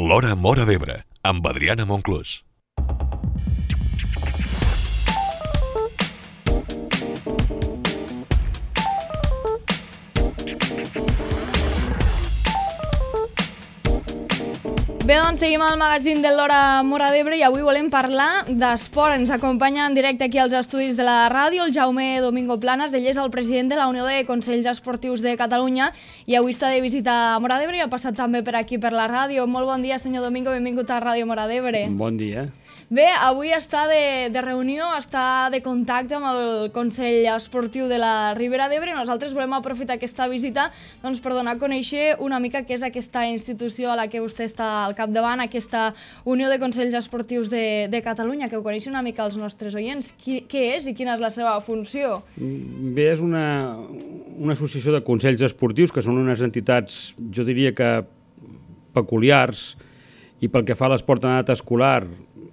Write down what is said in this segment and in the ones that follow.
L'Hora Móra d'Ebre, amb Adriana Monclús. Bé, doncs seguim al magazín de l'Hora Móra d'Ebre i avui volem parlar d'esport. Ens acompanya en directe aquí als estudis de la ràdio el Jaume Domingo Planas. Ell és el president de la Unió de Consells Esportius de Catalunya i avui està de visita a Móra d'Ebre i ha passat també per aquí per la ràdio. Molt bon dia, senyor Domingo, benvingut a Ràdio Móra d'Ebre. Bon dia. Bé, avui està de reunió, està de contacte amb el Consell Esportiu de la Ribera d'Ebre. Nosaltres volem aprofitar aquesta visita per donar a conèixer una mica què és aquesta institució a la que vostè està al capdavant, aquesta Unió de Consells Esportius de Catalunya, que ho coneixen una mica els nostres oients. Què és i quina és la seva funció? Bé, és una associació de consells esportius que són unes entitats, jo diria que peculiars, i pel que fa a l'esport en edat escolar,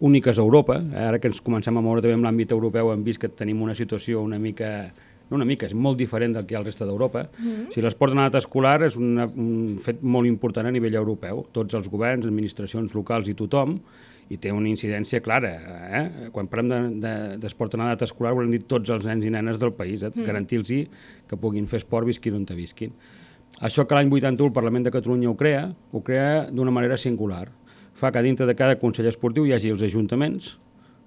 úniques a Europa. Ara que ens comencem a moure també en l'àmbit europeu hem vist que tenim una situació és molt diferent del que hi ha al resta d'Europa. O sigui, l'esport en edat escolar és un fet molt important a nivell europeu. Tots els governs, administracions locals i tothom, i té una incidència clara. Quan parlem d'esport en edat escolar volem dir tots els nens i nenes del país, garantir-los que puguin fer esport visquin on visquin. Això que l'any 81 el Parlament de Catalunya ho crea d'una manera singular. Fa que dintre de cada consell esportiu hi hagi els ajuntaments,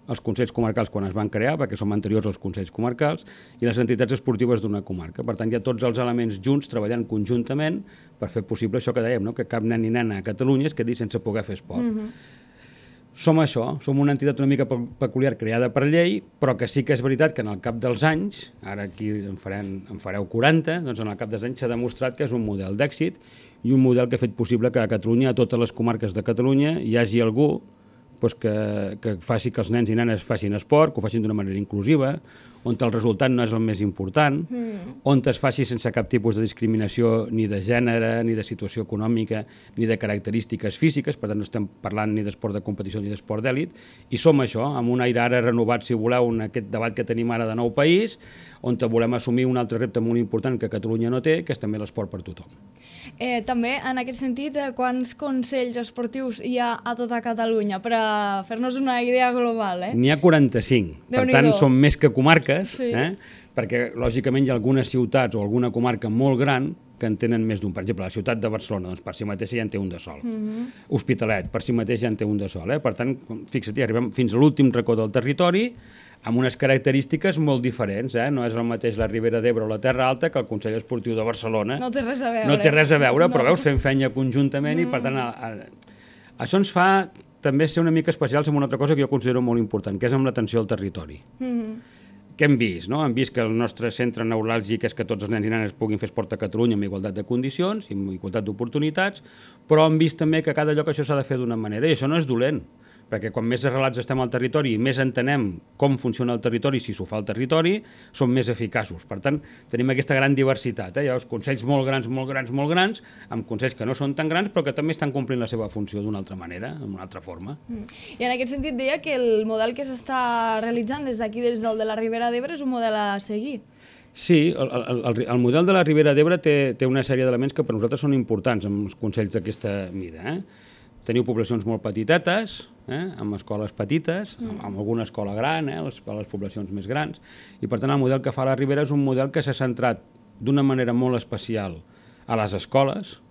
els consells comarcals quan es van crear, perquè som anteriors als consells comarcals, i les entitats esportives d'una comarca. Per tant, hi ha tots els elements junts treballant conjuntament per fer possible això que dèiem, que cap nen i nena a Catalunya es quedi sense poder fer esport. Som això, som una entitat una mica peculiar creada per llei, però que sí que és veritat que en el cap dels anys, ara aquí en fareu 40, doncs en el cap dels anys s'ha demostrat que és un model d'èxit i un model que ha fet possible que a Catalunya, a totes les comarques de Catalunya, hi hagi algú que faci que els nens i nenes facin esport, que ho facin d'una manera inclusiva, on el resultat no és el més important, on es faci sense cap tipus de discriminació ni de gènere, ni de situació econòmica, ni de característiques físiques, per tant no estem parlant ni d'esport de competició ni d'esport d'èlit, i som això, amb un aire ara renovat, si voleu, en aquest debat que tenim ara de nou país, on volem assumir un altre repte molt important que Catalunya no té, que és també l'esport per tothom. També, en aquest sentit, quants consells esportius hi ha a tota Catalunya? Per a fer-nos una idea global. N'hi ha 45, per tant són més que comarques, perquè lògicament hi ha algunes ciutats o alguna comarca molt gran que en tenen més d'un. Per exemple, la ciutat de Barcelona, per si mateixa ja en té un de sol. Hospitalet, per si mateix ja en té un de sol. Per tant, fixa't, arribem fins a l'últim racó del territori amb unes característiques molt diferents. No és el mateix la Ribera d'Ebre o la Terra Alta que el Consell Esportiu de Barcelona. No té res a veure. No té res a veure, però veus, fem feina conjuntament i per tant això ens fa també ser una mica especials en una altra cosa que jo considero molt important, que és amb l'atenció al territori. Què hem vist? Hem vist que el nostre centre neuràlgic és que tots els nens i nenes puguin fer esport a Catalunya amb igualtat de condicions i amb igualtat d'oportunitats, però hem vist també que a cada lloc això s'ha de fer d'una manera, i això no és dolent, perquè quan més arrelats estem al territori i més entenem com funciona el territori, si s'ho fa al territori, som més eficaços. Per tant, tenim aquesta gran diversitat. Hi ha els consells molt grans, amb consells que no són tan grans, però que també estan complint la seva funció d'una altra manera, d'una altra forma. I en aquest sentit deia que el model que s'està realitzant des d'aquí, des del de la Ribera d'Ebre, és un model a seguir. Sí, el model de la Ribera d'Ebre té una sèrie d'elements que per nosaltres són importants amb els consells d'aquesta mida. Teniu poblacions molt petitetes, amb escoles petites, amb alguna escola gran, les poblacions més grans, i per tant el model que fa la Ribera és un model que s'ha centrat d'una manera molt especial a les escoles,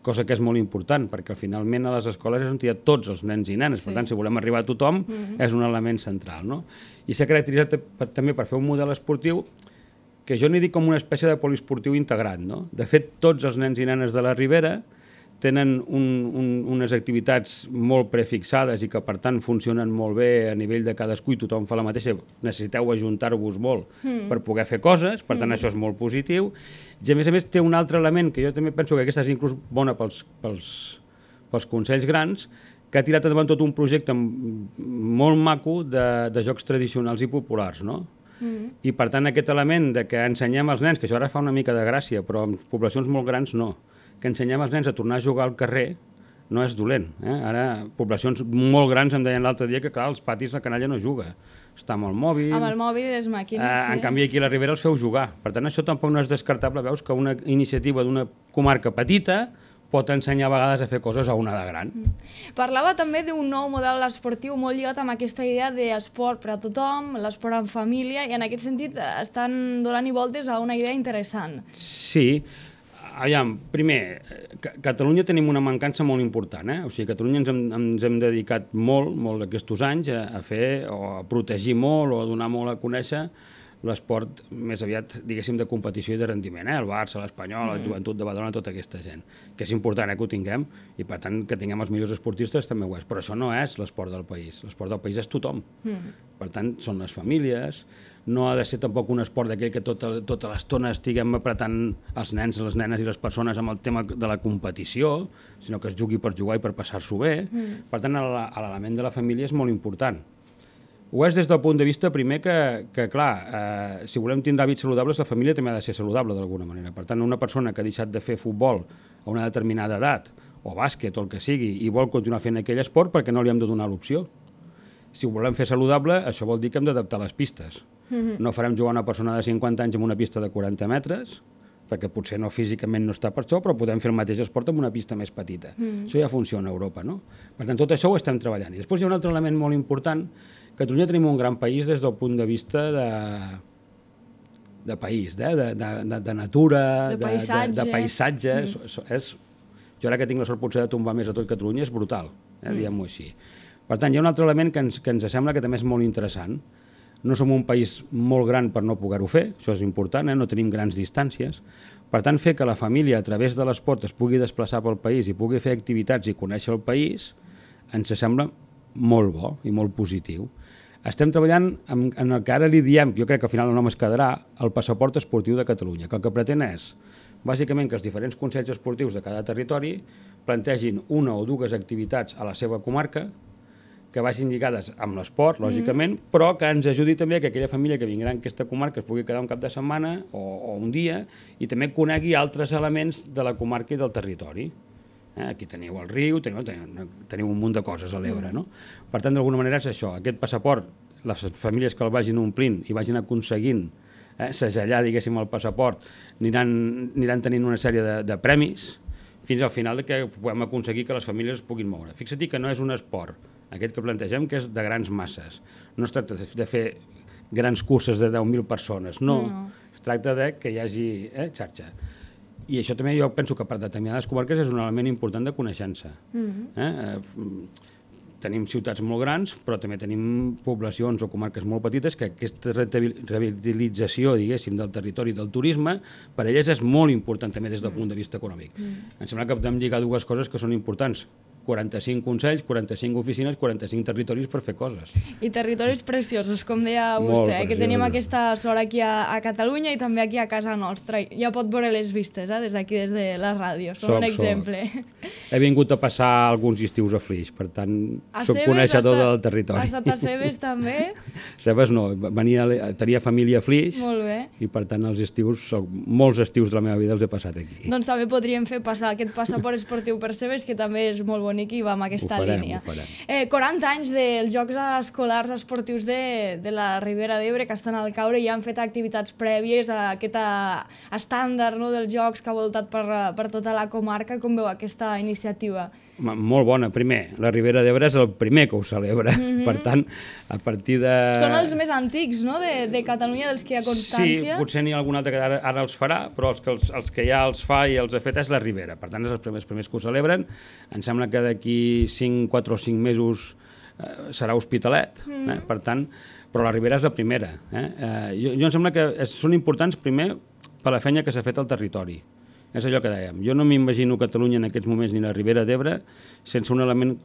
cosa que és molt important, perquè finalment a les escoles és on hi ha tots els nens i nenes, per tant si volem arribar a tothom és un element central. I s'ha caracteritzat també per fer un model esportiu que jo n'hi dic com una espècie de poliesportiu integrat. De fet, tots els nens i nenes de la Ribera tenen unes activitats molt prefixades i que per tant funcionen molt bé a nivell de cadascú i tothom fa la mateixa, necessiteu ajuntar-vos molt per poder fer coses, per tant això és molt positiu, i a més té un altre element que jo també penso que aquesta és inclús bona pels consells grans, que ha tirat endavant tot un projecte molt maco de jocs tradicionals i populars, i per tant aquest element de que ensenyem als nens, que això ara fa una mica de gràcia, però en poblacions molt grans no, que ensenyem als nens a tornar a jugar al carrer no és dolent. Ara, poblacions molt grans em deien l'altre dia que, clar, als patis la canalla no juga. Està amb el mòbil... Amb el mòbil i les màquines, sí. En canvi, aquí a la Ribera els feu jugar. Per tant, això tampoc no és descartable. Veus que una iniciativa d'una comarca petita pot ensenyar a vegades a fer coses a una de gran. Parlava també d'un nou model esportiu molt lligat amb aquesta idea d'esport per a tothom, l'esport en família, i en aquest sentit estan donant voltes a una idea interessant. Sí. Aviam, primer, a Catalunya tenim una mancança molt important. O sigui, a Catalunya ens hem dedicat molt aquests anys a fer o a protegir molt o a donar molt a conèixer l'esport més aviat, diguéssim, de competició i de rendiment. El Barça, l'Espanyol, el Joventut de Badalona, tota aquesta gent. Que és important que ho tinguem i, per tant, que tinguem els millors esportistes també ho és. Però això no és l'esport del país. L'esport del país és tothom. Per tant, són les famílies. No ha de ser tampoc un esport d'aquell que tota l'estona estiguem apretant els nens, les nenes i les persones amb el tema de la competició, sinó que es jugui per jugar i per passar-s'ho bé. Per tant, l'element de la família és molt important. Ho és des del punt de vista, primer, que clar, si volem tindre hàbits saludables, la família també ha de ser saludable d'alguna manera. Per tant, una persona que ha deixat de fer futbol a una determinada edat, o bàsquet, o el que sigui, i vol continuar fent aquell esport, perquè no li hem de donar l'opció. Si ho volem fer saludable, això vol dir que hem d'adaptar les pistes. No farem jugar una persona de 50 anys en una pista de 40 metres, perquè potser no físicament no està per això, però podem fer el mateix esport amb una pista més petita. Això ja funciona a Europa, no? Per tant, tot això ho estem treballant. I després hi ha un altre element molt important. A Catalunya tenim un gran país des del punt de vista de país, de natura, de paisatge. Jo ara que tinc la sort potser de tombar més a tot Catalunya, és brutal, diguem-ho així. Per tant, hi ha un altre element que ens sembla que també és molt interessant. No som un país molt gran per no poder-ho fer, això és important, no tenim grans distàncies. Per tant, fer que la família a través de l'esport es pugui desplaçar pel país i pugui fer activitats i conèixer el país, ens sembla molt bo i molt positiu. Estem treballant en el que ara li diem, jo crec que al final el nom es quedarà, el passaport esportiu de Catalunya, que el que pretén és, bàsicament, que els diferents consells esportius de cada territori plantegin una o dues activitats a la seva comarca, que vagin lligades amb l'esport, lògicament, però que ens ajudi també que aquella família que vindrà en aquesta comarca es pugui quedar un cap de setmana o un dia i també conegui altres elements de la comarca i del territori. Aquí teniu el riu, teniu un munt de coses a l'Ebre, no? Per tant, d'alguna manera és això, aquest passaport, les famílies que el vagin omplint i vagin aconseguint segellar, diguéssim, el passaport, aniran tenint una sèrie de premis fins al final que puguem aconseguir que les famílies es puguin moure. Fixa't que no és un esport, aquest que plantegem, que és de grans masses. No es tracta de fer grans curses de 10.000 persones, no. Es tracta de que hi hagi xarxa. I això també jo penso que per determinades comarques és un element important de coneixença. Tenim ciutats molt grans, però també tenim poblacions o comarques molt petites que aquesta revitalització, diguéssim, del territori i del turisme, per elles és molt important també des del punt de vista econòmic. Em sembla que podem lligar dues coses que són importants. 45 consells, 45 oficines, 45 territoris per fer coses. I territoris preciosos, com deia vostè, que tenim aquesta sort aquí a Catalunya i també aquí a casa nostra. Ja pot veure les vistes, des d'aquí, des de la ràdio. Són un exemple. He vingut a passar alguns estius a Flix, per tant, soc coneixedor del territori. Has estat a Cebes, també? Cebes no, tenia família a Flix i, per tant, molts estius de la meva vida els he passat aquí. Doncs també podríem fer passar aquest passaport esportiu per Cebes, que també és molt bonic i va amb aquesta línia. 40 anys dels Jocs Escolars Esportius de la Ribera d'Ebre, que estan al caure i han fet activitats prèvies a aquest estàndard dels Jocs que ha voltat per tota la comarca. Com veu aquesta iniciativa? Molt bona. Primer, la Ribera d'Ebre és el primer que ho celebra. Per tant, a partir de... Són els més antics, no?, de Catalunya, dels que hi ha constància. Sí, potser n'hi ha algun altre que ara els farà, però els que ja els fa i els ha fet és la Ribera. Per tant, és els primers que ho celebren. Em sembla que d'aquí 4 o 5 mesos serà Hospitalet, per tant, però la Ribera és la primera. Jo em sembla que són importants, primer, per la feina que s'ha fet al territori. És allò que dèiem. Jo no m'imagino Catalunya en aquests moments ni la Ribera d'Ebre sense un element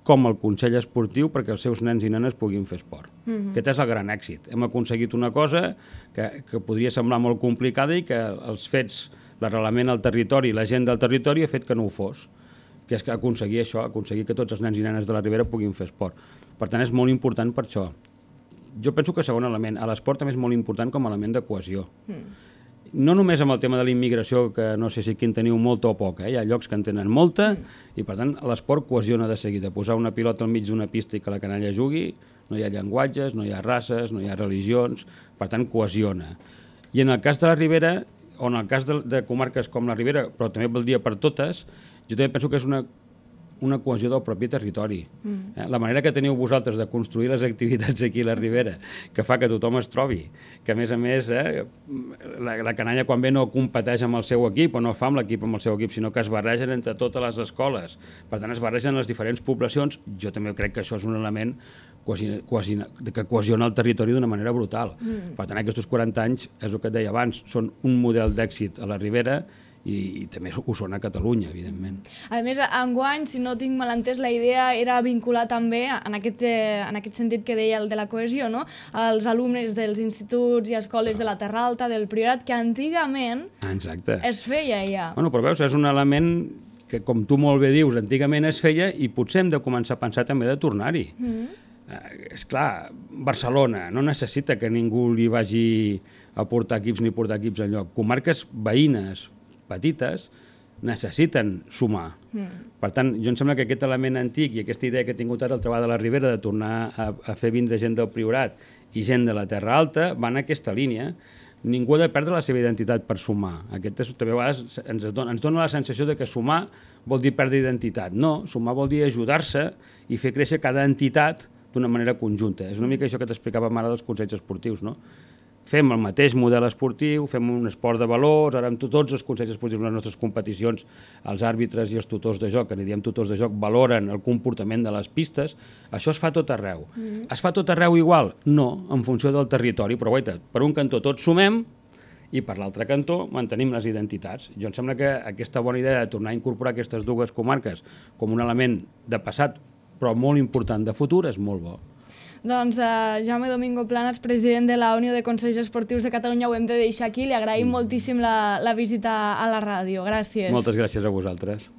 com el Consell Esportiu perquè els seus nens i nenes puguin fer esport. Aquest és el gran èxit. Hem aconseguit una cosa que podria semblar molt complicada i que els fets, l'arrelament al territori, la gent del territori ha fet que no ho fos, que és aconseguir això, aconseguir que tots els nens i nenes de la Ribera puguin fer esport. Per tant, és molt important per això. Jo penso que segon element, l'esport també és molt important com a element de cohesió. No només amb el tema de la immigració, que no sé si aquí en teniu molta o poca, hi ha llocs que en tenen molta, i per tant l'esport cohesiona de seguida. Posar una pilota al mig d'una pista i que la canalla jugui, no hi ha llenguatges, no hi ha races, no hi ha religions, per tant cohesiona. I en el cas de la Ribera, o en el cas de comarques com la Ribera, però també valdria per totes, Jo també penso que és una cohesió del propi territori. La manera que teniu vosaltres de construir les activitats aquí a la Ribera, que fa que tothom es trobi, que a més, la canalla quan ve no competeix amb el seu equip o no fa amb l'equip amb el seu equip, sinó que es barregen entre totes les escoles. Per tant, es barregen les diferents poblacions. Jo també crec que això és un element que cohesiona el territori d'una manera brutal. Per tant, aquests 40 anys, és el que et deia abans, són un model d'èxit a la Ribera i també ho són a Catalunya, evidentment. A més, enguany, si no tinc mal entès, la idea era vincular també, en aquest sentit que deia el de la cohesió, no? Els alumnes dels instituts i escoles de la Terra Alta, del Priorat, que antigament es feia ja. Bueno, però veus, és un element que, com tu molt bé dius, antigament es feia i potser hem de començar a pensar també de tornar-hi. És clar, Barcelona no necessita que ningú li vagi a portar equips ni portar equips enlloc. Comarques veïnes, petites, necessiten sumar. Per tant, jo em sembla que aquest element antic i aquesta idea que he tingut ara al Treball de la Ribera de tornar a fer vindre gent del Priorat i gent de la Terra Alta van en aquesta línia. Ningú ha de perdre la seva identitat per sumar. Aquest també a vegades ens dona la sensació de que sumar vol dir perdre identitat. No, sumar vol dir ajudar-se i fer créixer cada entitat d'una manera conjunta. És una mica això que t'explicàvem ara dels consells esportius, no? Fem el mateix model esportiu, fem un esport de valors, ara amb tots els consells esportius en les nostres competicions, els àrbitres i els tutors de joc, que n'hi diem tutors de joc, valoren el comportament de les pistes. Això es fa tot arreu. Es fa tot arreu igual? No, en funció del territori, però guaita, per un cantó tots sumem i per l'altre cantó mantenim les identitats. Jo em sembla que aquesta bona idea de tornar a incorporar aquestes dues comarques com un element de passat, però molt important de futur, és molt bo. Doncs Jaume Domingo Planas, president de la Unió de Consells Esportius de Catalunya, ho hem de deixar aquí. Li agraïm moltíssim la visita a la ràdio. Gràcies. Moltes gràcies a vosaltres.